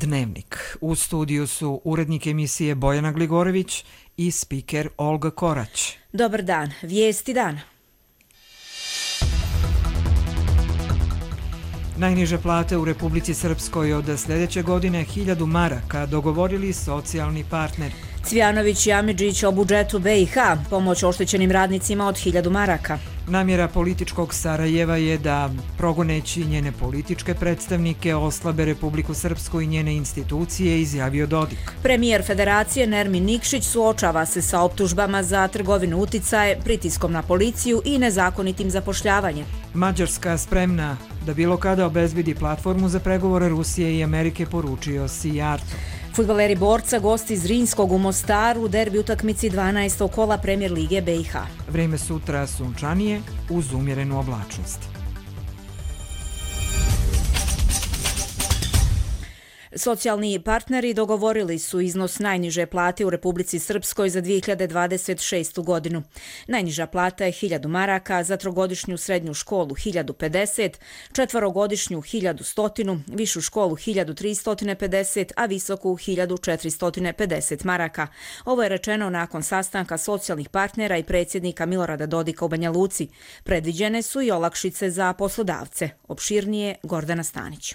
Dnevnik. U studiju su urednik emisije Bojana Gligorović i spiker Olga Korać. Dobar dan, vijesti dana. Najniže plate u Republici Srpskoj od sljedeće godine 1000 maraka dogovorili socijalni partneri. Cvijanović i Amidžić o budžetu BiH, pomoć oštećenim radnicima od 1000 maraka. Namjera političkog Sarajeva je da, progoneći njene političke predstavnike, oslabe Republiku Srpsku i njene institucije, izjavio Dodik. Premijer Federacije Nermin Nikšić suočava se sa optužbama za trgovinu uticaje, pritiskom na policiju i nezakonitim zapošljavanjem. Mađarska spremna da bilo kada obezbedi platformu za pregovore Rusije i Amerike, poručio Sijarto. Fudbaleri Borca gosti Zrinjskog u Mostaru u derbi utakmici 12. kola Premier lige BiH. Vrijeme sutra sunčanije uz umjerenu oblačnost. Socijalni partneri dogovorili su iznos najniže plate u Republici Srpskoj za 2026. godinu. Najniža plata je 1000 maraka, za trogodišnju srednju školu 1050, četvorogodišnju 1100, višu školu 1350, a visoku 1450 maraka. Ovo je rečeno nakon sastanka socijalnih partnera i predsjednika Milorada Dodika u Banja Luci. Predviđene su i olakšice za poslodavce. Opširnije Gordana Stanić.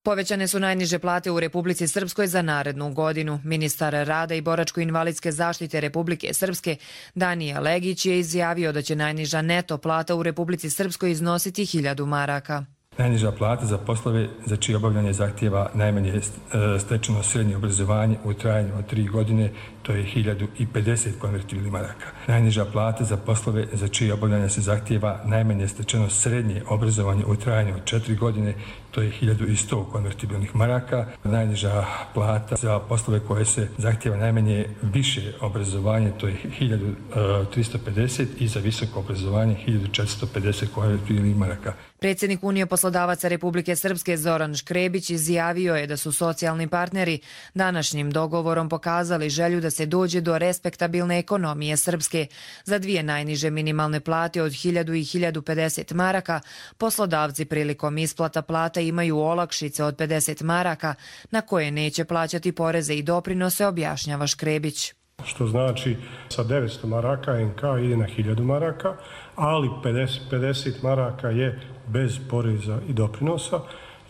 Povećane su najniže plate u Republici Srpskoj za narednu godinu. Ministar rada i boračko-invalidske zaštite Republike Srpske Danija Legić je izjavio da će najniža neto plata u Republici Srpskoj iznositi 1000 maraka. Najniža plata za poslove za čije obavljanje zahtijeva najmanje stečeno srednje obrazovanje u trajanju od 3 godine, to je 1050 konvertibilnih maraka. Najniža plata za poslove za čije obavljanje se zahtijeva najmanje stečeno srednje obrazovanje u trajanju od 4 godine, to je 1100 konvertibilnih maraka. Najniža plata za poslove koje se zahtijeva najmanje više obrazovanje, to je 1350 i za visoko obrazovanje 1450 konvertibilnih maraka. Predsjednik Unije poslodavaca Republike Srpske Zoran Škrebić izjavio je da su socijalni partneri današnjim dogovorom pokazali želju da se dođe do respektabilne ekonomije Srpske. Za dvije najniže minimalne plate od 1000 i 1050 maraka poslodavci prilikom isplata plata imaju olakšice od 50 maraka na koje neće plaćati poreze i doprinose, objašnjava Škrebić. Što znači sa 900 maraka NK ide na 1000 maraka, ali 50 maraka je bez poreza i doprinosa.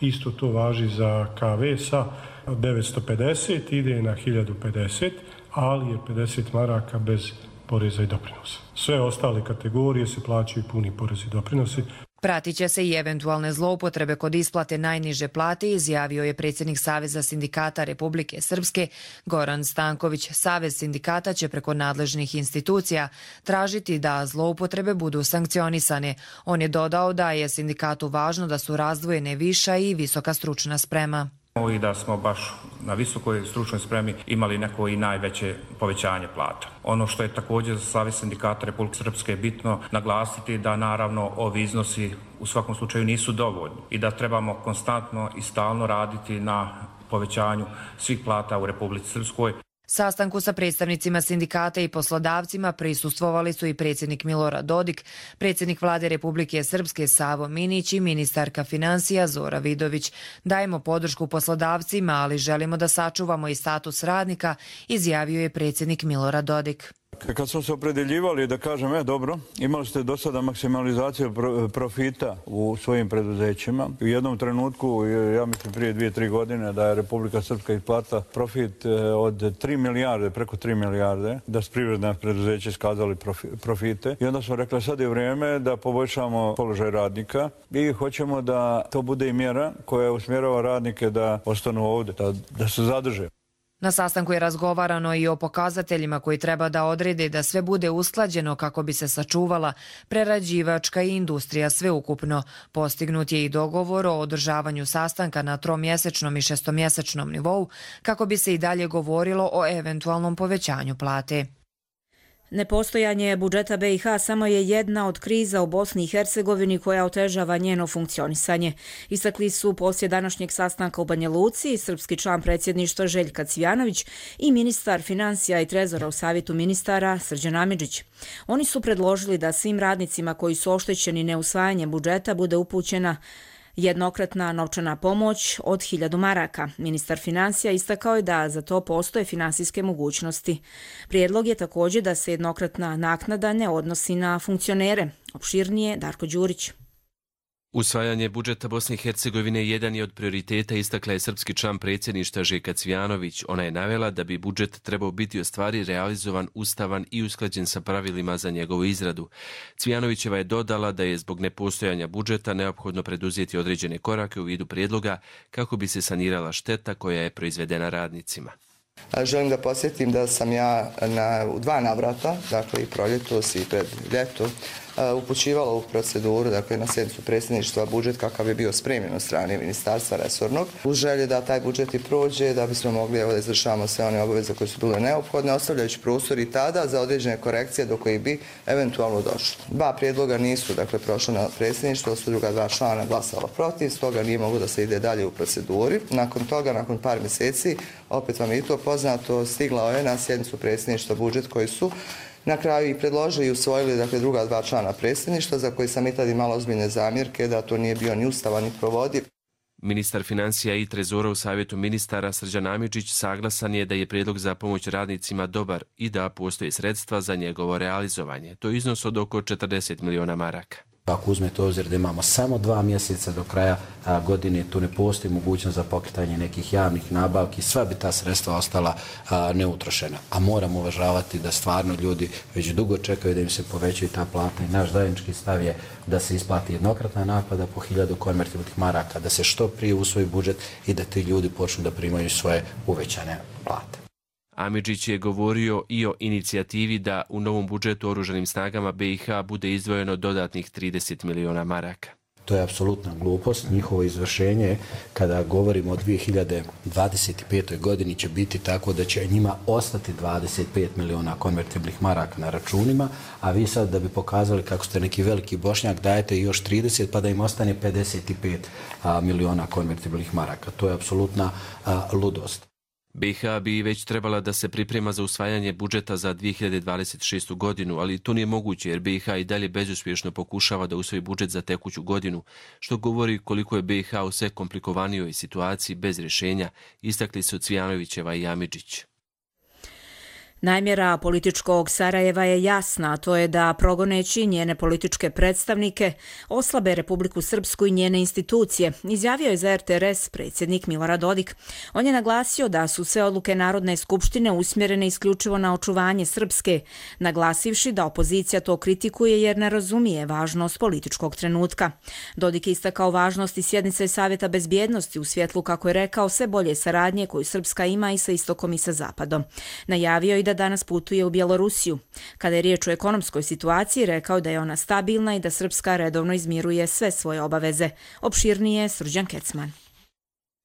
Isto to važi za KV sa 950 ide na 1050, ali je 50 maraka bez poreza i doprinosa. Sve ostale kategorije se plaćaju puni porezi i doprinosi. Pratit će se i eventualne zloupotrebe kod isplate najniže plate, izjavio je predsjednik Saveza sindikata Republike Srpske Goran Stanković. Savez sindikata će preko nadležnih institucija tražiti da zloupotrebe budu sankcionisane. On je dodao da je sindikatu važno da su razdvojene viša i visoka stručna sprema. I da smo baš na visokoj stručnoj spremi imali neko i najveće povećanje plata. Ono što je također za Savez sindikata Republike Srpske bitno naglasiti da naravno ovi iznosi u svakom slučaju nisu dovoljni i da trebamo konstantno i stalno raditi na povećanju svih plata u Republici Srpskoj. Sastanku sa predstavnicima sindikata i poslodavcima prisustvovali su i predsjednik Milorad Dodik, predsjednik vlade Republike Srpske Savo Minić i ministarka financija Zora Vidović. Dajemo podršku poslodavcima, ali želimo da sačuvamo i status radnika, izjavio je predsjednik Milorad Dodik. Kad smo se opredeljivali da kažem, dobro, imali ste do sada maksimalizaciju profita u svojim preduzećima. U jednom trenutku, ja mislim prije 2-3 godine, da je Republika Srpska isplatila profit od 3 milijarde, preko 3 milijarde, da su privredna preduzeća iskazali profite. I onda smo rekli, sad je vrijeme da poboljšamo položaj radnika i hoćemo da to bude i mjera koja usmjerava radnike da ostanu ovdje, da se zadrže. Na sastanku je razgovarano i o pokazateljima koji treba da odrede da sve bude usklađeno kako bi se sačuvala prerađivačka i industrija sveukupno. Postignut je i dogovor o održavanju sastanka na 3-mjesečnom i 6-mjesečnom nivou kako bi se i dalje govorilo o eventualnom povećanju plate. Nepostojanje budžeta BiH samo je jedna od kriza u Bosni i Hercegovini koja otežava njeno funkcionisanje. Istakli su poslije današnjeg sastanka u Banja Luci srpski član predsjedništva Željka Cvijanović i ministar financija i trezora u savjetu ministara Srđan Amidžić. Oni su predložili da svim radnicima koji su oštećeni neusvajanjem budžeta bude upućena Jednokratna novčana pomoć od 1000 maraka. Ministar financija istakao je da za to postoje finansijske mogućnosti. Prijedlog je također da se jednokratna naknada ne odnosi na funkcionere. Opširnije Darko Đurić. Usvajanje budžeta Bosne i Hercegovine jedan je od prioriteta, istakla je srpski član predsjedništva Željka Cvijanović. Ona je navela da bi budžet trebao biti u stvari realizovan, ustavan i usklađen sa pravilima za njegovu izradu. Cvijanovićeva je dodala da je zbog nepostojanja budžeta neophodno preduzeti određene korake u vidu prijedloga kako bi se sanirala šteta koja je proizvedena radnicima. Želim da podsjetim da sam ja u 2 navrata, dakle i proljetos i pred ljeto, upućivala u proceduru, dakle na sjednicu predsjedništva budžet kakav je bio spremljen od strane ministarstva resornog. U želji da taj budžet i prođe, da bismo mogli da izvršavamo sve one obaveze koje su bile neophodne, ostavljajući prostor i tada za određene korekcije do kojih bi eventualno došlo. 2 prijedloga nisu prošla na predsjedništvo, su druga 2 člana glasala protiv, stoga nije moglo da se ide dalje u proceduri. Nakon toga, nakon par mjeseci, opet vam je to poznato, stigla je na sjednicu predsjedništva budžet koji su na kraju i predložili i usvojili druga 2 člana predsjedništva, za koji sam i tad imala ozbiljne zamjerke da to nije bio ni ustavan ni provodiv. Ministar financija i trezora u savjetu ministara Srđan Amidžić saglasan je da je prijedlog za pomoć radnicima dobar i da postoje sredstva za njegovo realizovanje. To je iznos od oko 40 miliona maraka. Ako uzmete u obzir da imamo samo 2 mjeseca do kraja godine, tu ne postoji mogućnost za pokretanje nekih javnih nabavki, sva bi ta sredstva ostala neutrošena. A moramo uvažavati da stvarno ljudi već dugo čekaju da im se povećaju ta plata i naš zajednički stav je da se isplati jednokratna naknada po 1000 konvertibilnih maraka, da se što prije usvoji budžet i da ti ljudi počnu da primaju svoje uvećane plate. Amidžić je govorio i o inicijativi da u novom budžetu oružanim snagama BiH bude izdvojeno dodatnih 30 miliona maraka. To je apsolutna glupost. Njihovo izvršenje, kada govorimo o 2025. godini, će biti tako da će njima ostati 25 miliona konvertibilnih maraka na računima, a vi sad da bi pokazali kako ste neki veliki Bošnjak dajete još 30 pa da im ostane 55 miliona konvertibilnih maraka. To je apsolutna ludost. BiH bi već trebala da se priprema za usvajanje budžeta za 2026. godinu, ali to nije moguće jer BiH i dalje bezuspješno pokušava da usvoji budžet za tekuću godinu, što govori koliko je BiH u sve komplikovanijoj situaciji bez rješenja, istakli su Cvijanovićeva i Amidžić. Namjera političkog Sarajeva je jasna, a to je da progoneći njene političke predstavnike oslabe Republiku Srpsku i njene institucije, izjavio je za RTRS predsjednik Milorad Dodik. On je naglasio da su sve odluke Narodne skupštine usmjerene isključivo na očuvanje Srpske, naglasivši da opozicija to kritikuje jer ne razumije važnost političkog trenutka. Dodik je istakao važnost i sjednice Savjeta bezbjednosti u svjetlu, kako je rekao, sve bolje saradnje koju Srpska ima i sa istokom i sa zapadom. Najavio i da danas putuje u Bjelorusiju. Kada je riječ o ekonomskoj situaciji, rekao da je ona stabilna i da Srpska redovno izmiruje sve svoje obaveze. Opširnije Srđan Kecman.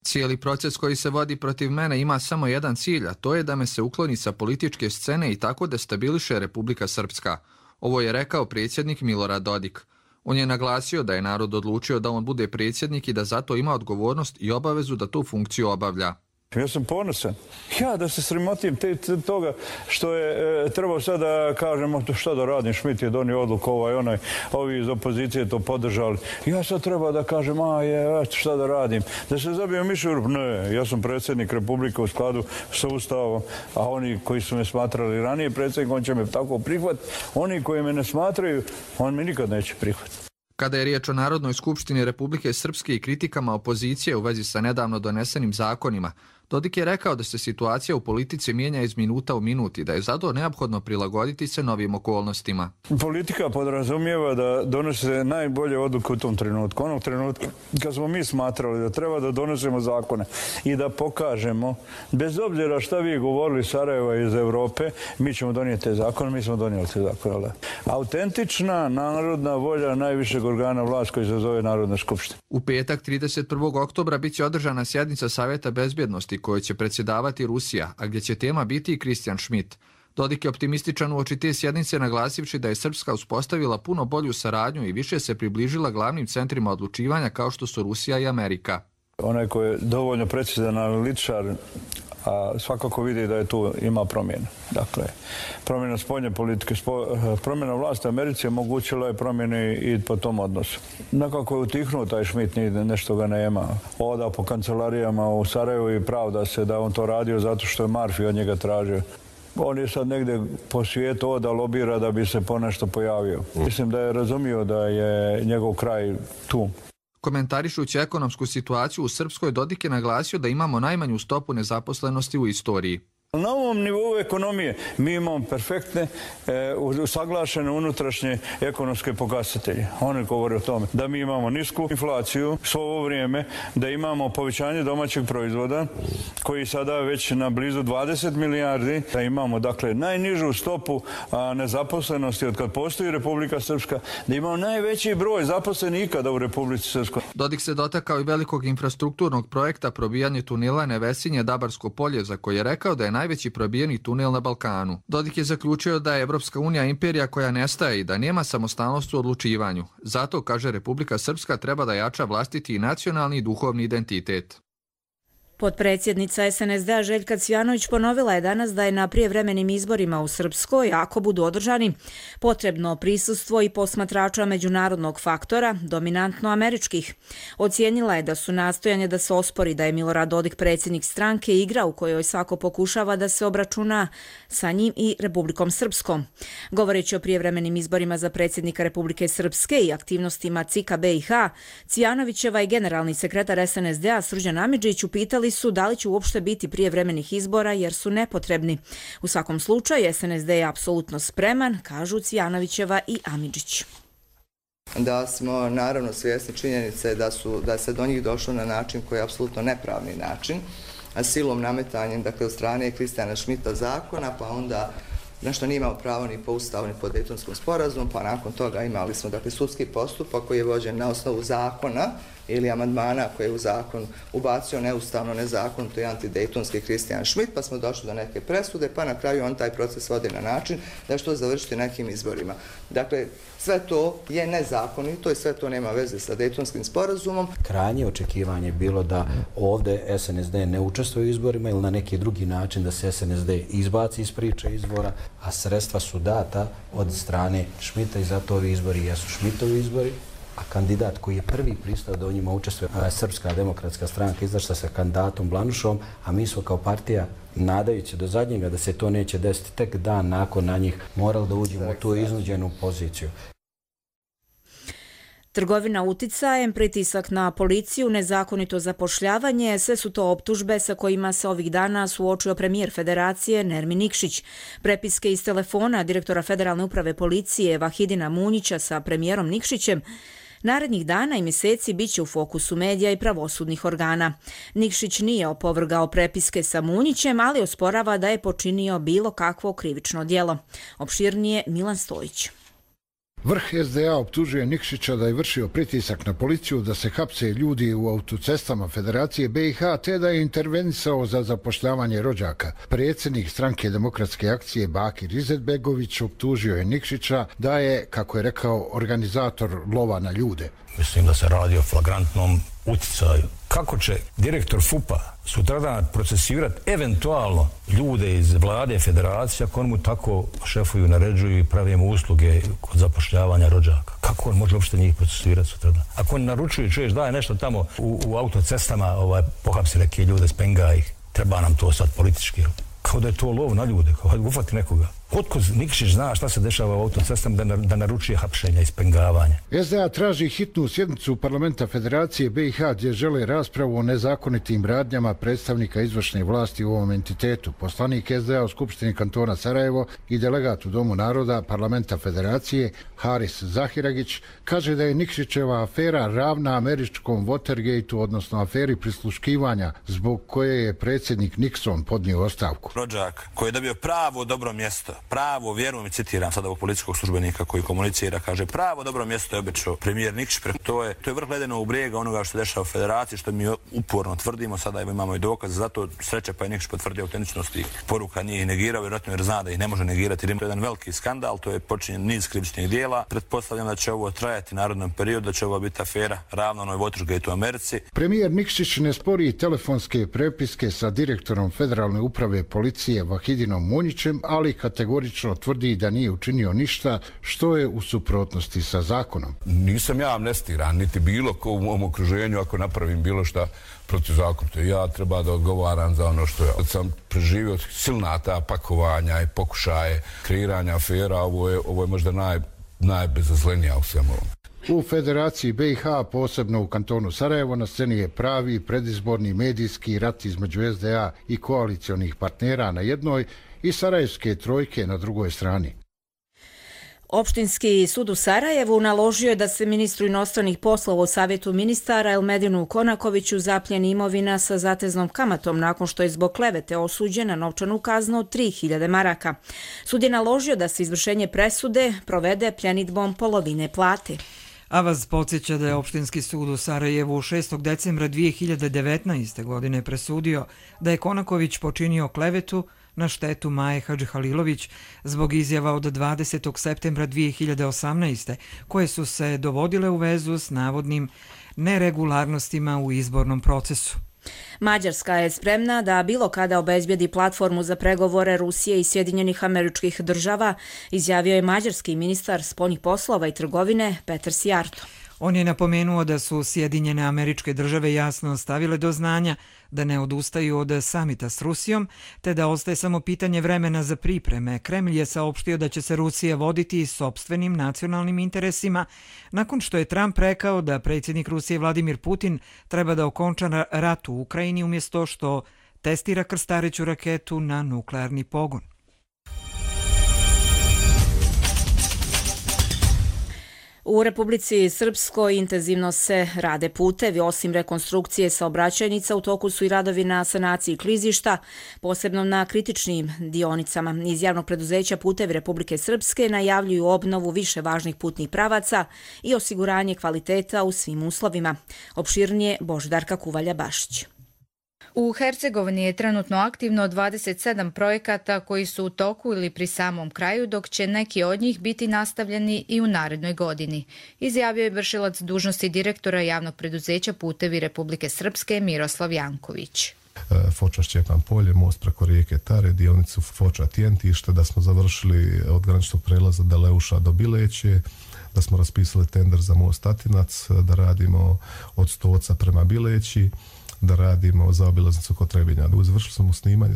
Cijeli proces koji se vodi protiv mene ima samo jedan cilj, a to je da me se ukloni sa političke scene i tako destabiliše Republika Srpska. Ovo je rekao predsjednik Milorad Dodik. On je naglasio da je narod odlučio da on bude predsjednik i da zato ima odgovornost i obavezu da tu funkciju obavlja. Ja sam ponosan. Ja da se sramotim toga što je trebao sad da kažemo šta da radim, Šmit je donio odluku onaj, ovi iz opozicije to podržali. Ja sad treba da kažem, šta da radim, da se zabijem mišur. Ne, ja sam predsjednik Republike u skladu sa Ustavom, a oni koji su me smatrali ranije predsjednik, on će me tako prihvatiti. Oni koji me ne smatraju, on me nikad neće prihvatiti. Kada je riječ o Narodnoj skupštini Republike Srpske i kritikama opozicije u vezi sa nedavno donesenim zakonima, Dodik je rekao da se situacija u politici mijenja iz minuta u minut i da je zato neophodno prilagoditi se novim okolnostima. Politika podrazumijeva da donose najbolje odluke u tom trenutku. Onog trenutka kad smo mi smatrali da treba da donesemo zakone i da pokažemo, bez obzira šta vi govorili Sarajeva iz Europe, mi ćemo donijeti te zakone, mi smo donijeli te zakone. Autentična narodna volja najvišeg organa vlasti koji se zove Narodna skupština. U petak 31. oktobra bit će održana sjednica Savjeta bezbjednosti kojoj će predsjedavati Rusija, a gdje će tema biti i Christian Schmidt. Dodik je optimističan uoči te sjednice, naglasivši da je Srpska uspostavila puno bolju saradnju i više se približila glavnim centrima odlučivanja kao što su Rusija i Amerika. Onaj koji je dovoljno precizan analitičar, a svakako vidi da je tu ima promjena. Dakle, promjena spoljne politike, promjena vlasti u Americi omogućila je promjene i po tom odnosu. Nekako je utihnuo taj Schmidt, nešto ga nema. Oda po kancelarijama u Sarajevu i pravda se da on to radio zato što je Murphy od njega tražio. On je sad negdje po svijetu da lobira da bi se ponešto pojavio. Mislim da je razumio da je njegov kraj tu. Komentarišući ekonomsku situaciju u Srpskoj, Dodik je naglasio da imamo najmanju stopu nezaposlenosti u istoriji. Na ovom nivou ekonomije mi imamo perfektne, usaglašene unutrašnje ekonomske pokazatelje. Oni govore o tome da mi imamo nisku inflaciju svo ovo vrijeme, da imamo povećanje domaćeg proizvoda koji sada već na blizu 20 milijardi, da imamo dakle najnižu stopu nezaposlenosti od kad postoji Republika Srpska, da imamo najveći broj zaposlenih ikada u Republici Srpskoj. Dodik se dotakao i velikog infrastrukturnog projekta probijanje tunela Nevesinje-Dabarsko polje, za koje je rekao da je najveći probijeni tunel na Balkanu. Dodik je zaključio da je Evropska unija imperija koja nestaje i da nema samostalnost u odlučivanju. Zato, kaže, Republika Srpska treba da jača vlastiti i nacionalni i duhovni identitet. Potpredsjednica SNSD-a Željka Cvjanović ponovila je danas da je na prijevremenim izborima u Srpskoj, ako budu održani, potrebno prisustvo i posmatrača međunarodnog faktora, dominantno američkih. Ocijenila je da su nastojanje da se ospori da je Milorad Dodik predsjednik stranke igra u kojoj svako pokušava da se obračuna sa njim i Republikom Srpskom. Govoreći o prijevremenim izborima za predsjednika Republike Srpske i aktivnostima CIK-a BiH, Cvjanovićeva i generalni sekretar SNSD-a Srđan Amidžić upitali su da li će uopšte biti prijevremenih izbora jer su nepotrebni. U svakom slučaju SNSD je apsolutno spreman, kažu Cvjanovićeva i Amidžić. Da smo naravno svjesni činjenice da se do njih došlo na način koji je apsolutno nepravni način, silom nametanjem dakle, od strane Kristijana Schmidta zakona, pa onda nešto nije imao pravo ni po ustavu ni po Dejtonskom sporazumu, pa nakon toga imali smo dakle, sudski postupak koji je vođen na osnovu zakona ili amandmana koji je u zakon ubacio neustavno, nezakonito i antidejtonski Kristijan Schmidt, pa smo došli do neke presude, pa na kraju on taj proces vodi na način da što završiti nekim izborima. Dakle, sve to je nezakonito i sve to nema veze sa Dejtonskim sporazumom. Krajnje očekivanje je bilo da ovdje SNSD ne učestvuje u izborima ili na neki drugi način da se SNSD izbaci iz priče izbora, a sredstva su data od strane Schmidta i zato ovi izbori jesu Schmidtovi izbori. A kandidat koji je prvi pristao da u njima učestvuje, Srpska demokratska stranka, izašla sa kandidatom Blanušom, a mi smo kao partija, nadajući do zadnjega da se to neće desiti, tek dan nakon na njih morali da uđemo u tu iznuđenu poziciju. Trgovina uticajem, pritisak na policiju, nezakonito zapošljavanje, sve su to optužbe sa kojima se ovih dana suočio premijer Federacije Nermin Nikšić. Prepiske iz telefona direktora Federalne uprave policije Vahidina Munjića sa premijerom Nikšićem narednih dana i mjeseci bit će u fokusu medija i pravosudnih organa. Nikšić nije opovrgao prepiske sa Munjićem, ali osporava da je počinio bilo kakvo krivično djelo. Opširnije Milan Stojić. Vrh SDA optužuje Nikšića da je vršio pritisak na policiju da se hapse ljudi u autocestama Federacije BiH te da je intervenisao za zapošljavanje rođaka. Predsjednik stranke Demokratske akcije Bakir Izetbegović optužio je Nikšića da je, kako je rekao, organizator lova na ljude. Mislim da se radi o flagrantnom uticaju. Kako će direktor FUP-a sutradan procesirati eventualno ljude iz vlade Federacije ako on mu tako šefuju, naređuju i pravi mu usluge kod zapošljavanja rođaka? Kako on može uopšte njih procesirati sutradan? Ako on naručuje, čuješ, daje nešto tamo u autocestama, pohapsi neke ljude, spenga ih, treba nam to sad politički. Kao da je to lov na ljude, kao da ufati nekoga. Otko Nikšić zna šta se dešava u autocestama da naručuje hapšenja i spengavanja? SDA traži hitnu sjednicu parlamenta Federacije BiH gdje žele raspravu o nezakonitim radnjama predstavnika izvršne vlasti u ovom entitetu. Poslanik SDA u Skupštini kantona Sarajevo i delegat u Domu naroda parlamenta Federacije Haris Zahiragić kaže da je Nikšićeva afera ravna američkom Watergateu, odnosno aferi prisluškivanja zbog koje je predsjednik Nixon podnio ostavku. rođak koji je dobio pravo dobro mjesto, pravo, vjerujem i citiram sad ovog policijskog službenika koji komunicira, kaže pravo dobro mjesto je obećao premijer Nikšić. To je vrh ledenog brijega onoga što se dešava u federaciji, što mi uporno tvrdimo, sada imamo i dokaze, zato sreće pa je Nikšić potvrdio autentičnost tih poruka, nije ih negirao, vjerojatno jer zna da ih ne može negirati. To je jedan veliki skandal, to je počinjen niz krivičnih dijela. Pretpostavljam da će ovo trajati narodnom periodu, da će ovo biti afera ravno onoj Watergate u Americi. Premijer Nikšić ne spori telefonske prepiske sa direktorom Federalne uprave policije Vahidinom Munjićem, ali kategorično tvrdi da nije učinio ništa što je u suprotnosti sa zakonom. Nisam ja amnestiran, niti bilo ko u mom okruženju ako napravim bilo šta protivzakonito. Ja treba da odgovaram za ono što ja sam preživio, silna ta pakovanja i pokušaje kreiranja afera, ovo je možda najbezazlenija u svemu ovom. U Federaciji BiH, posebno u kantonu Sarajevo, na sceni je pravi predizborni medijski rat između SDA i koalicionih partnera na jednoj i sarajevske trojke na drugoj strani. Opštinski sud u Sarajevu naložio je da se ministru inostranih poslova u Savjetu ministara Elmedinu Konakoviću zapljeni imovina sa zateznom kamatom nakon što je zbog klevete osuđen na novčanu kaznu od 3000 maraka. Sud je naložio da se izvršenje presude provede pljenidbom polovine plate. Avaz podsjeća da je Opštinski sud u Sarajevu 6. decembra 2019. godine presudio da je Konaković počinio klevetu na štetu Maje Hadžihalilović zbog izjava od 20. septembra 2018. koje su se dovodile u vezu s navodnim neregularnostima u izbornom procesu. Mađarska je spremna da bilo kada obezbijedi platformu za pregovore Rusije i Sjedinjenih Američkih Država, izjavio je mađarski ministar spoljnih poslova i trgovine Petar Sijarto. On je napomenuo da su Sjedinjene Američke Države jasno stavile do znanja da ne odustaju od samita s Rusijom, te da ostaje samo pitanje vremena za pripreme. Kremlj je saopštio da će se Rusija voditi sopstvenim nacionalnim interesima, nakon što je Trump rekao da predsjednik Rusije Vladimir Putin treba da okonča rat u Ukrajini umjesto što testira krstareću raketu na nuklearni pogon. U Republici Srpskoj intenzivno se rade putevi. Osim rekonstrukcije saobraćajnica, u toku su i radovi na sanaciji klizišta, posebno na kritičnim dionicama. Iz javnog preduzeća Putevi Republike Srpske najavljuju obnovu više važnih putnih pravaca i osiguranje kvaliteta u svim uslovima. Opširnije Boždarka Kuvalja-Bašić. U Hercegovini je trenutno aktivno 27 projekata koji su u toku ili pri samom kraju, dok će neki od njih biti nastavljeni i u narednoj godini, izjavio je vršilac dužnosti direktora javnog preduzeća Putevi Republike Srpske Miroslav Janković. Foča-Šćepan polje, most preko rijeke Tare, dionicu Foča-Tjentište, da smo završili od graničnog prelaza Deleuša do Bileće, da smo raspisali tender za most Tatinac, da radimo od Stoca prema Bileći, da radimo zaobilaznicu kod Trebinja. Završili smo snimanje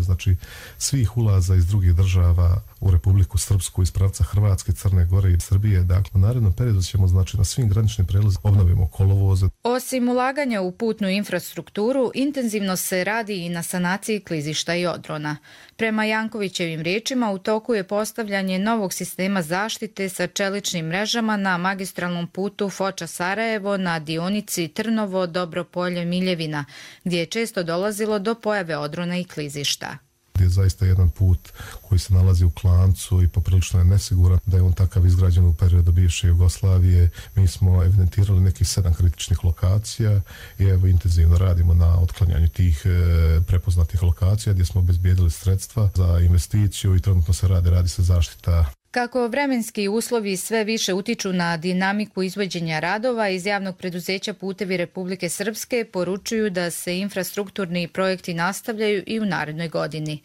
svih ulaza iz drugih država u Republiku Srpsku iz pravca Hrvatske, Crne Gore i Srbije. Dakle, u narednom periodu ćemo na svim graničnim prelazima obnovimo kolovoze. Osim ulaganja u putnu infrastrukturu, intenzivno se radi i na sanaciji klizišta i odrona. Prema Jankovićevim riječima, u toku je postavljanje novog sistema zaštite sa čeličnim mrežama na magistralnom putu Foča-Sarajevo na dionici Trnovo-Dobropolje-Miljevina, gdje je često dolazilo do pojave odrona i klizišta. Je zaista jedan put koji se nalazi u klancu i poprilično je nesiguran, da je on takav izgrađen u periodu bivše Jugoslavije. Mi smo evidentirali nekih 7 kritičnih lokacija i evo intenzivno radimo na otklanjanju tih prepoznatih lokacija gdje smo obezbijedili sredstva za investiciju i trenutno se radi se zaštita. Kako vremenski uslovi sve više utiču na dinamiku izvođenja radova, iz javnog preduzeća Putevi Republike Srpske poručuju da se infrastrukturni projekti nastavljaju i u narednoj godini.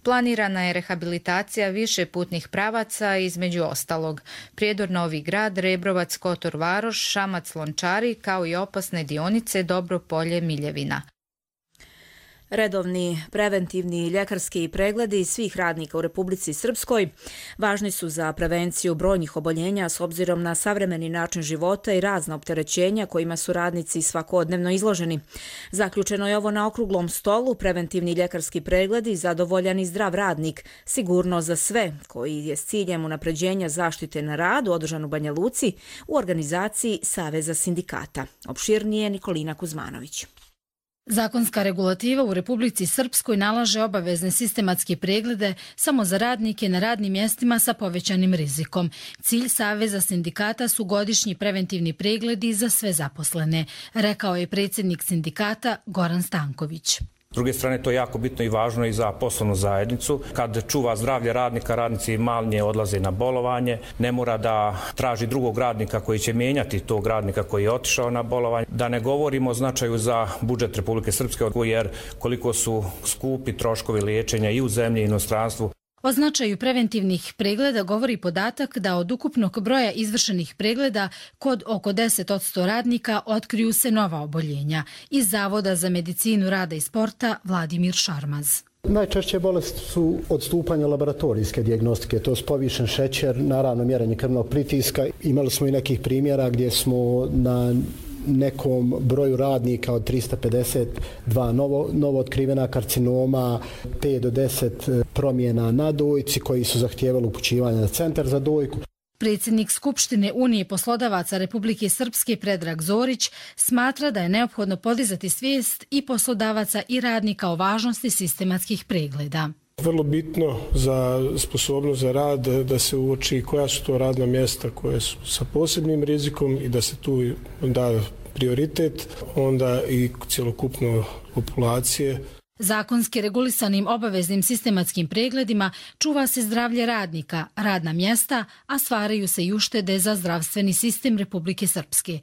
Planirana je rehabilitacija više putnih pravaca, između ostalog Prijedor Novi Grad, Rebrovac Kotor Varoš, Šamac Lončari, kao i opasne dionice Dobropolje Miljevina. Redovni preventivni ljekarski pregledi svih radnika u Republici Srpskoj važni su za prevenciju brojnih oboljenja s obzirom na savremeni način života i razna opterećenja kojima su radnici svakodnevno izloženi. Zaključeno je ovo na okruglom stolu preventivni ljekarski pregledi, zadovoljan i zdrav radnik, sigurno za sve, koji je s ciljem unapređenja zaštite na radu održan u Banja Luci u organizaciji Saveza sindikata. Opširnije Nikolina Kuzmanović. Zakonska regulativa u Republici Srpskoj nalaže obavezne sistematske preglede samo za radnike na radnim mjestima sa povećanim rizikom. Cilj Saveza sindikata su godišnji preventivni pregledi za sve zaposlene, rekao je predsjednik sindikata Goran Stanković. S druge strane, to je jako bitno i važno i za poslovnu zajednicu. Kad čuva zdravlje radnika, radnici manje odlaze na bolovanje, ne mora da traži drugog radnika koji će mijenjati tog radnika koji je otišao na bolovanje. Da ne govorimo o značaju za budžet Republike Srpske, jer koliko su skupi troškovi liječenja i u zemlji i inostranstvu. O značaju preventivnih pregleda govori podatak da od ukupnog broja izvršenih pregleda kod oko 10% radnika otkriju se nova oboljenja. Iz Zavoda za medicinu rada i sporta Vladimir Šarmaz. Najčešće bolesti su odstupanje laboratorijske dijagnostike, to je povišen šećer, naravno mjerenje krvnog pritiska. Imali smo i nekih primjera gdje smo na nekom broju radnika od 352 novo otkrivena karcinoma, 5 do 10 promjena na dojci koji su zahtijevali upućivanje na centar za dojku. Predsjednik Skupštine Unije poslodavaca Republike Srpske Predrag Zorić smatra da je neophodno podizati svijest i poslodavaca i radnika o važnosti sistematskih pregleda. Vrlo bitno za sposobnost za rad da se uoči koja su to radna mjesta koje su sa posebnim rizikom i da se tu da prioritet, onda i cjelokupno populacije. Zakonski regulisanim obaveznim sistematskim pregledima čuva se zdravlje radnika, radna mjesta, a stvaraju se i uštede za zdravstveni sistem Republike Srpske.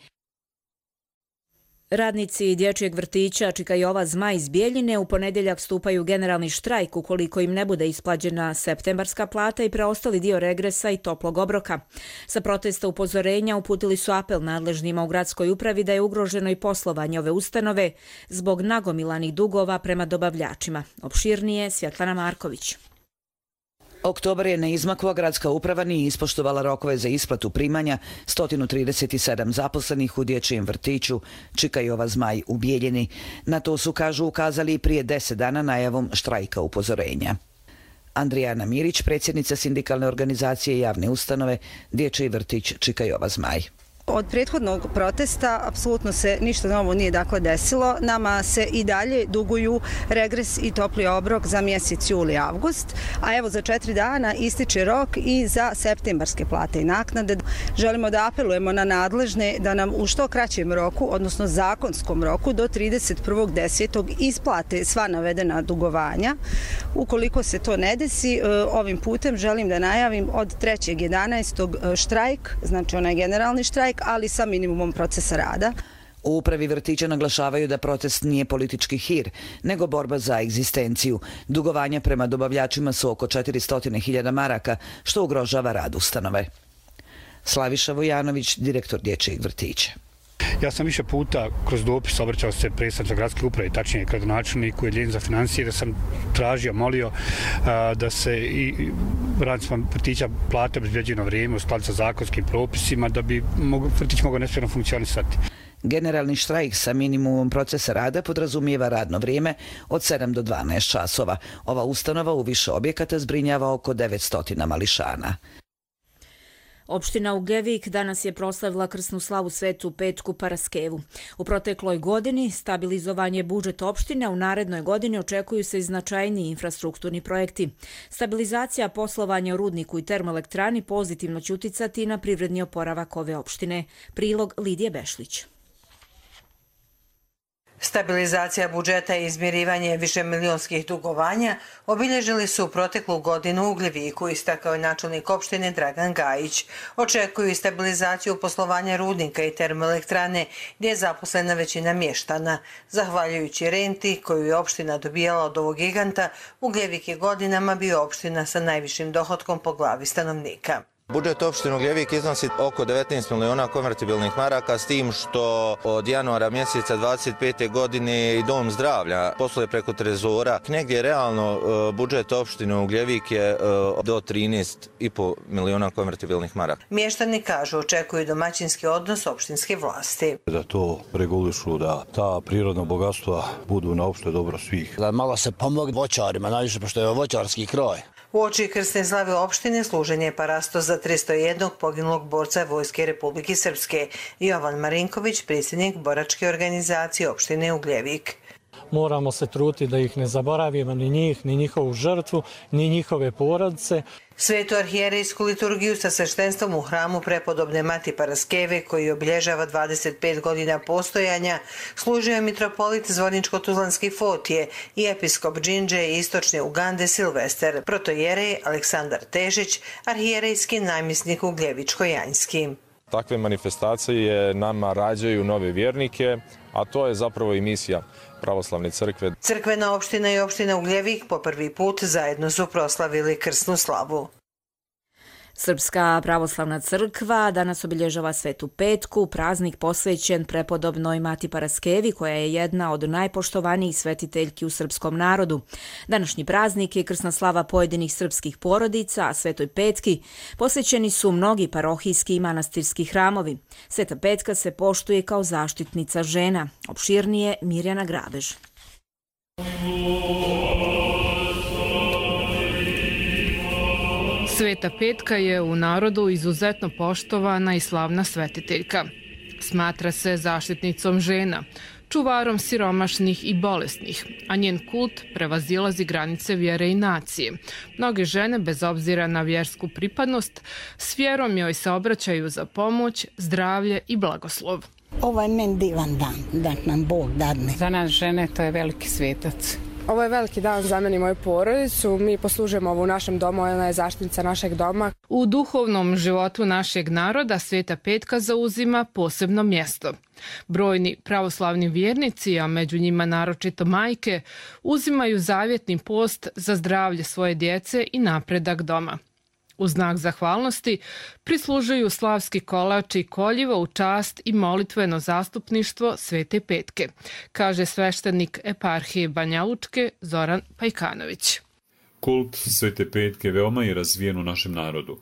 Radnici dječjeg vrtića Čika Jova Zmaj iz Bijeljine u ponedjeljak stupaju generalni štrajk ukoliko im ne bude isplaćena septembarska plata i preostali dio regresa i toplog obroka. Sa protesta upozorenja uputili su apel nadležnima u gradskoj upravi da je ugroženo i poslovanje ove ustanove zbog nagomilanih dugova prema dobavljačima. Opširnije Svjetlana Marković. Oktobar je neizmaklo, gradska uprava nije ispoštovala rokove za isplatu primanja 137 zaposlenih u dječjem vrtiću Čika Jova Zmaj u Bijeljini. Na to su, kažu, ukazali prije 10 dana najavom štrajka upozorenja. Andrijana Mirić, predsjednica sindikalne organizacije javne ustanove Dječji vrtić Čika Jova Zmaj. Od prethodnog protesta apsolutno se ništa novo nije desilo. Nama se i dalje duguju regres i topli obrok za mjesec juli i avgust, a evo za 4 dana ističe rok i za septembarske plate i naknade. Želimo da apelujemo na nadležne da nam u što kraćem roku, odnosno zakonskom roku, do 31.10. isplate sva navedena dugovanja. Ukoliko se to ne desi, ovim putem želim da najavim od 3.11. štrajk, znači onaj generalni štrajk, ali sa minimumom procesa rada. U upravi vrtića naglašavaju da protest nije politički hir, nego borba za egzistenciju. Dugovanja prema dobavljačima su oko 400.000 maraka, što ugrožava rad ustanove. Slaviša Vojanović, direktor dječjeg vrtića. Ja sam više puta kroz dopis obraćao se predstavniku gradske uprave, tačnije gradonačelniku i Agenciji za financije, da sam tražio, molio da se i radnicima vrtića plate obezbeđuju na vrijeme u skladu sa zakonskim propisima da bi vrtić mogao nesmetano funkcionisati. Generalni štrajk sa minimumom procesa rada podrazumijeva radno vrijeme od 7 do 12 časova. Ova ustanova u više objekata zbrinjava oko 900 mališana. Opština Ugljevik danas je proslavila krsnu slavu Svetu Petku Paraskevu. U protekloj godini stabilizovanje budžeta opštine, u narednoj godini očekuju se i značajniji infrastrukturni projekti. Stabilizacija poslovanja u rudniku i termoelektrani pozitivno će uticati na privredni oporavak ove opštine. Prilog Lidije Bešlić. Stabilizacija budžeta i izmirivanje višemilionskih dugovanja obilježili su proteklu godinu u Ugljeviku, istakao je načelnik opštine Dragan Gajić. Očekuju i stabilizaciju poslovanja rudnika i termoelektrane, gdje je zaposlena većina mještana. Zahvaljujući renti koju je opština dobijala od ovog giganta, Ugljevik je godinama bio opština sa najvišim dohotkom po glavi stanovnika. Budžet opštine Ugljevik iznosi oko 19 miliona konvertibilnih maraka, s tim što od januara mjeseca 25. godine i Dom zdravlja posluje preko trezora. Negdje realno budžet opštine Ugljevik je do 13,5 miliona konvertibilnih maraka. Mještani kažu očekuju domaćinski odnos opštinske vlasti. Da to regulišu, da ta prirodna bogatstva budu na opšte dobro svih. Da malo se pomogne voćarima, najviše pošto je voćarski kraj. U oči krsne slave opštine služen je parasto za 301 poginulog borca Vojske Republike Srpske. Jovan Marinković, predsjednik boračke organizacije opštine Ugljevik. Moramo se truditi da ih ne zaboravimo, ni njih, ni njihovu žrtvu, ni njihove porodice. Svetu arhijerejsku liturgiju sa sveštenstvom u hramu prepodobne Mati Paraskeve, koji obilježava 25 godina postojanja, služio je mitropolit Zvorničko-Tuzlanski Fotije i episkop Džindže i istočne Ugande Silvester, protojerej Aleksandar Težić, arhijerejski namjesnik Ugljevičko-Janjski. Takve manifestacije nama rađaju nove vjernike, a to je zapravo i misija pravoslavne crkve. Crkvena opština i opština Ugljevik po prvi put zajedno su proslavili krsnu slavu. Srpska pravoslavna crkva danas obilježava Svetu Petku, praznik posvećen prepodobnoj Mati Paraskevi, koja je jedna od najpoštovanijih svetiteljki u srpskom narodu. Današnji praznik je krsna slava pojedinih srpskih porodica, a Svetoj Petki posvećeni su mnogi parohijski i manastirski hramovi. Sveta Petka se poštuje kao zaštitnica žena. Opširnije Mirjana Grabež. Sveta Petka je u narodu izuzetno poštovana i slavna svetiteljka. Smatra se zaštitnicom žena, čuvarom siromašnih i bolesnih, a njen kult prevazilazi granice vjere i nacije. Mnoge žene, bez obzira na vjersku pripadnost, s vjerom joj se obraćaju za pomoć, zdravlje i blagoslov. Ovo je meni divan dan, da nam Bog dadne. Za nas žene to je veliki svetac. Ovo je veliki dan za mene i moju porodicu. Mi poslužujemo ovo u našem domu, ona je zaštitnica našeg doma. U duhovnom životu našeg naroda Sveta Petka zauzima posebno mjesto. Brojni pravoslavni vjernici, a među njima naročito majke, uzimaju zavjetni post za zdravlje svoje djece i napredak doma. U znak zahvalnosti prislužuju slavski kolač i koljivo u čast i molitveno zastupništvo Svete Petke, kaže sveštenik eparhije Banja Lučke Zoran Pajkanović. Kult Svete Petke veoma je razvijen u našem narodu.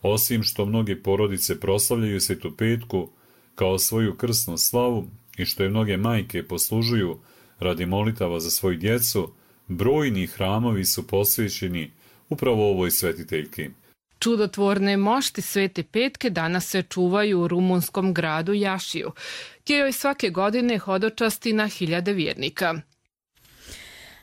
Osim što mnoge porodice proslavljaju Svetu Petku kao svoju krsnu slavu i što je mnoge majke poslužuju radi molitava za svoju djecu, brojni hramovi su posvećeni upravo ovoj svetiteljki. Čudotvorne mošti Svete Petke danas se čuvaju u rumunskom gradu Jašiju, gdje joj svake godine hodočasti na hiljade vjernika.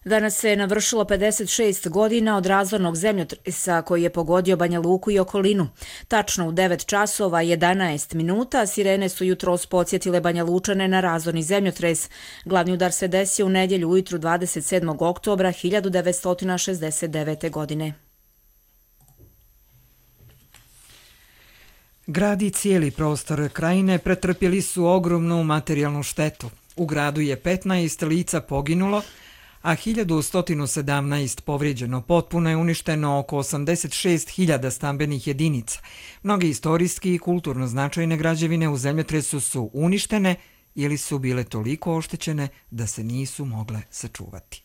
Danas se navršilo 56 godina od razornog zemljotresa koji je pogodio Banja Luku i okolinu. Tačno u 9 časova 11 minuta sirene su jutros podsjetile Banja Lučane na razorni zemljotres. Glavni udar se desio u nedjelju ujutru 27. oktobra 1969. godine. Grad i cijeli prostor krajine pretrpjeli su ogromnu materijalnu štetu. U gradu je 15 lica poginulo, a 1117 povrijeđeno. Potpuno je uništeno oko 86.000 stambenih jedinica. Mnoge istorijski i kulturno značajne građevine u zemljotresu su uništene ili su bile toliko oštećene da se nisu mogle sačuvati.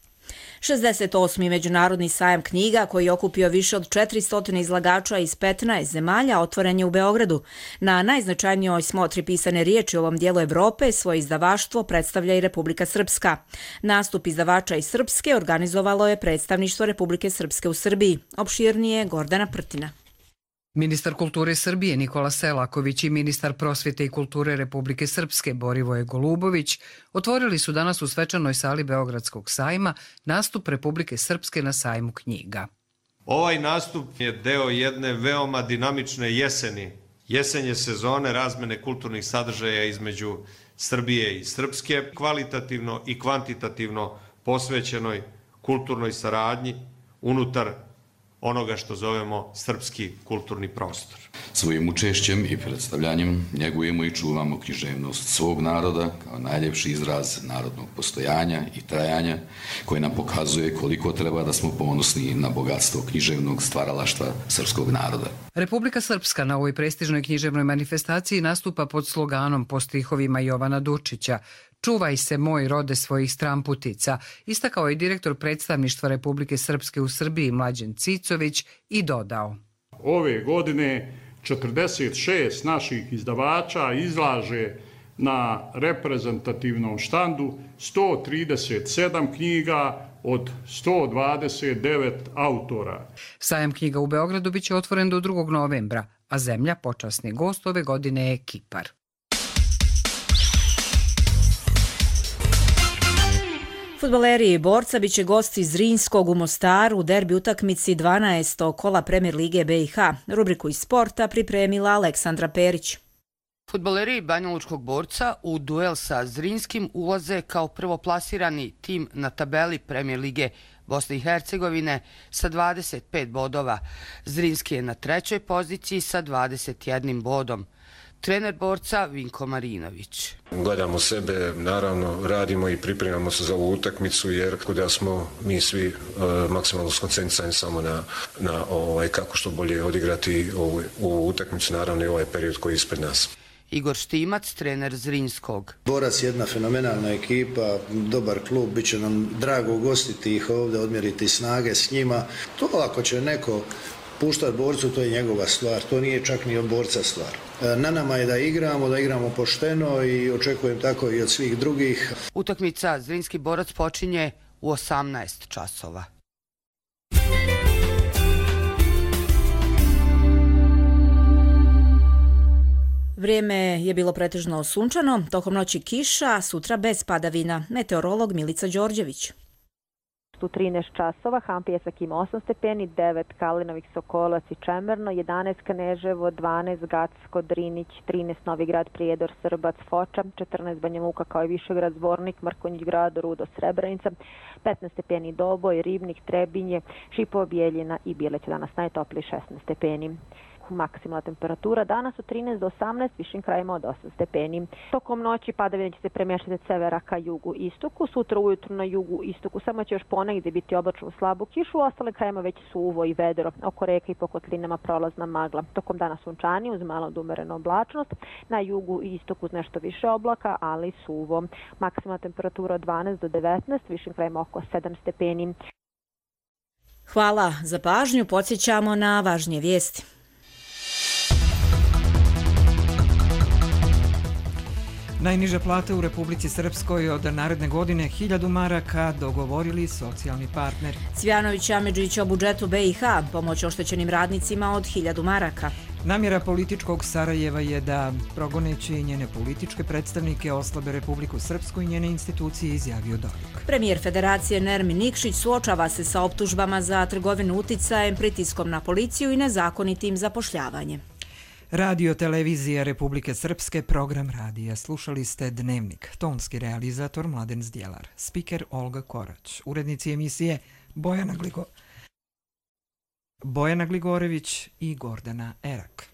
68. Međunarodni sajam knjiga, koji je okupio više od 400 izlagača iz 15 zemalja, otvoren je u Beogradu. Na najznačajnijoj smotri pisane riječi u ovom dijelu Evrope svoje izdavaštvo predstavlja i Republika Srpska. Nastup izdavača iz Srpske organizovalo je predstavništvo Republike Srpske u Srbiji. Opširnije Gordana Prtina. Ministar kulture Srbije Nikola Selaković i ministar prosvjete i kulture Republike Srpske Borivoje Golubović otvorili su danas u svečanoj sali Beogradskog sajma nastup Republike Srpske na sajmu knjiga. Ovaj nastup je deo jedne veoma dinamične jeseni. Jesenje sezone razmene kulturnih sadržaja između Srbije i Srpske, kvalitativno i kvantitativno posvećenoj kulturnoj saradnji unutar onoga što zovemo srpski kulturni prostor. Svojim učešćem i predstavljanjem njegujemo i čuvamo književnost svog naroda kao najljepši izraz narodnog postojanja i trajanja, koji nam pokazuje koliko treba da smo ponosni na bogatstvo književnog stvaralaštva srpskog naroda. Republika Srpska na ovoj prestižnoj književnoj manifestaciji nastupa pod sloganom po stihovima Jovana Dučića "Čuvaj se moj rode svojih stramputica", istakao je direktor predstavništva Republike Srpske u Srbiji Mlađen Cicović i dodao: Ove godine 46 naših izdavača izlaže na reprezentativnom štandu 137 knjiga od 129 autora. Sajam knjiga u Beogradu biće otvoren do 2. novembra, a zemlja počasni gost ove godine je Kipar. Fudbaleri Borca biće gosti Zrinjskog u Mostaru u derbi utakmici 12. kola Premier lige BiH. Rubriku iz sporta pripremila Aleksandra Perić. Fudbaleri Banjalučkog Borca u duel sa Zrinjskim ulaze kao prvoplasirani tim na tabeli Premier lige Bosne i Hercegovine sa 25 bodova. Zrinjski je na 3. poziciji sa 21 bodom. Trener Borca Vinko Marinović. Gledamo sebe, naravno radimo i pripremamo se za ovu utakmicu jer da smo mi svi maksimalno skoncentrirani samo na kako što bolje odigrati ovu utakmicu, naravno i ovaj period koji je ispred nas. Igor Štimac, trener Zrinjskog. Borac je jedna fenomenalna ekipa, dobar klub, bit će nam drago ugostiti ih ovdje, odmjeriti snage s njima. To ako će neko puštati Borcu, to je njegova stvar, to nije čak ni od Borca stvar. Na nama je da igramo pošteno i očekujem tako i od svih drugih. Utakmica Zrinjski Borac počinje u 18 časova. Vrijeme je bilo pretežno sunčano, tokom noći kiša, sutra bez padavina. Meteorolog Milica Đorđević. U 13 časova Hampijevsak ima 8 stepeni, 9 Kalinovih, Sokolac i Čemerno, 11 Kneževo, 12 Gacko, Drinić, 13 Novigrad, Prijedor, Srbac, Foča, 14 Banja Luka kao i Višegrad, Zvornik, Mrkonjić Grad, Rudo, Srebrenica, 15 stepeni Doboj, Ribnik, Trebinje, Šipovo, Bijeljina i Bileć, danas najtopliji 16 stepeni. Maksimalna temperatura danas od 13 do 18, višim krajima od 8 stepeni. Tokom noći padavine će se premještati od severa ka jugu istoku, sutra ujutru na jugu istoku samo će još ponegdje biti oblačno slabu kišu, u ostalim krajima već suvo i vedro, oko reka i po kotlinama prolazna magla. Tokom dana sunčani uz malo do umerenu oblačnost, na jugu i istoku uz nešto više oblaka, ali suvo. Maksimalna temperatura od 12 do 19, višim krajima oko 7 stepeni. Hvala za pažnju, podsjećamo na važnije vijesti. Najniže plate u Republici Srpskoj od naredne godine 1000 maraka dogovorili socijalni partneri. Cvjanović i Amidžić o budžetu BiH, pomoć oštećenim radnicima od 1000 maraka. Namjera političkog Sarajeva je da, progoneći njene političke predstavnike, oslabe Republiku Srpsku i njene institucije, izjavio Dodik. Premijer Federacije Nermin Nikšić suočava se sa optužbama za trgovinu uticajem, pritiskom na policiju i nezakonitim zapošljavanjem. Radio televizija Republike Srpske, program radija. Slušali ste Dnevnik. Tonski realizator Mladen Zdjelar. Spiker Olga Korać. Urednici emisije Bojana Gligorević i Gordana Erak.